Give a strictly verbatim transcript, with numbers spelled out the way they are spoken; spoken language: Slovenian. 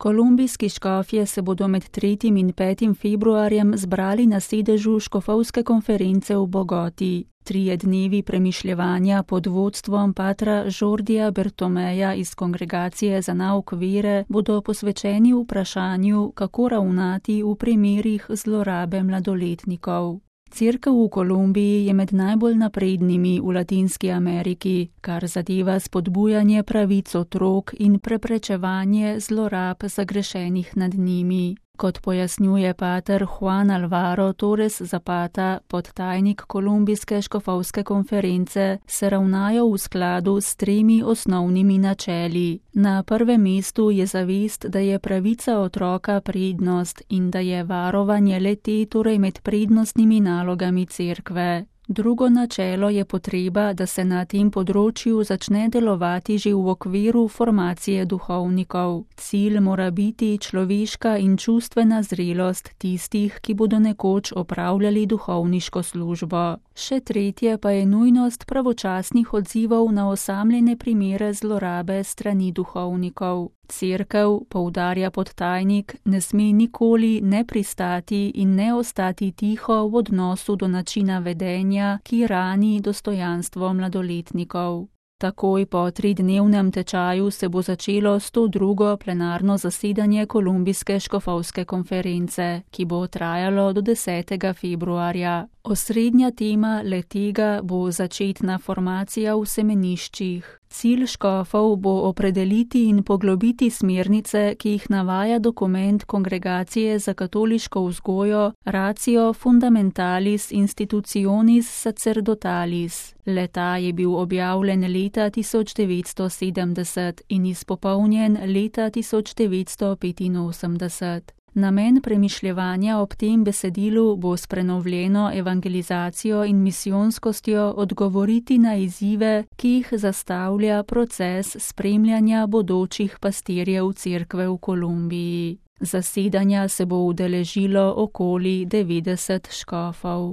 Kolumbijski škofje se bodo med tretjim in petim februarjem zbrali na sedežu škofovske konference v Bogoti. Trije dnevi premišljevanja pod vodstvom patra Jordija Bertomeja iz Kongregacije za nauk vere bodo posvečeni vprašanju, kako ravnati v primerih zlorabe mladoletnikov. Cerkev v Kolumbiji je med najbolj naprednimi v Latinski Ameriki, kar zadeva spodbujanje pravic otrok in preprečevanje zlorab zagrešenih nad njimi. Kot pojasnjuje pater Juan Alvaro Torres Zapata, podtajnik Kolumbijske škofovske konference, se ravnajo v skladu s tremi osnovnimi načeli. Na prvem mestu je zavest, da je pravica otroka prednost in da je varovanje le-te torej med prednostnimi nalogami cerkve. Drugo načelo je potreba, da se na tem področju začne delovati že v okviru formacije duhovnikov. Cilj mora biti človeška in čustvena zrelost tistih, ki bodo nekoč opravljali duhovniško službo. Še tretje pa je nujnost pravočasnih odzivov na osamljene primere zlorabe strani duhovnikov. Cerkev, poudarja podtajnik, ne sme nikoli ne pristati in ne ostati tiho v odnosu do načina vedenja, ki rani dostojanstvo mladoletnikov. Takoj po tridnevnem tečaju se bo začelo sto drugo plenarno zasedanje Kolumbijske škofovske konference, ki bo trajalo do desetega februarja. Osrednja tema le-tega bo začetna formacija v semeniščih. Cilj škofov bo opredeliti in poglobiti smernice, ki jih navaja dokument Kongregacije za katoliško vzgojo Ratio Fundamentalis Institutionis Sacerdotalis. Le-ta je bil objavljen leta tisoč devetsto sedemdeset in izpopolnjen leta tisoč devetsto petinosemdeset. Namen premišljevanja ob tem besedilu bo s prenovljeno evangelizacijo in misijonskostjo odgovoriti na izzive, ki jih zastavlja proces spremljanja bodočih pastirjev cerkve v Kolumbiji. Zasedanja se bo udeležilo okoli devetdeset škofov.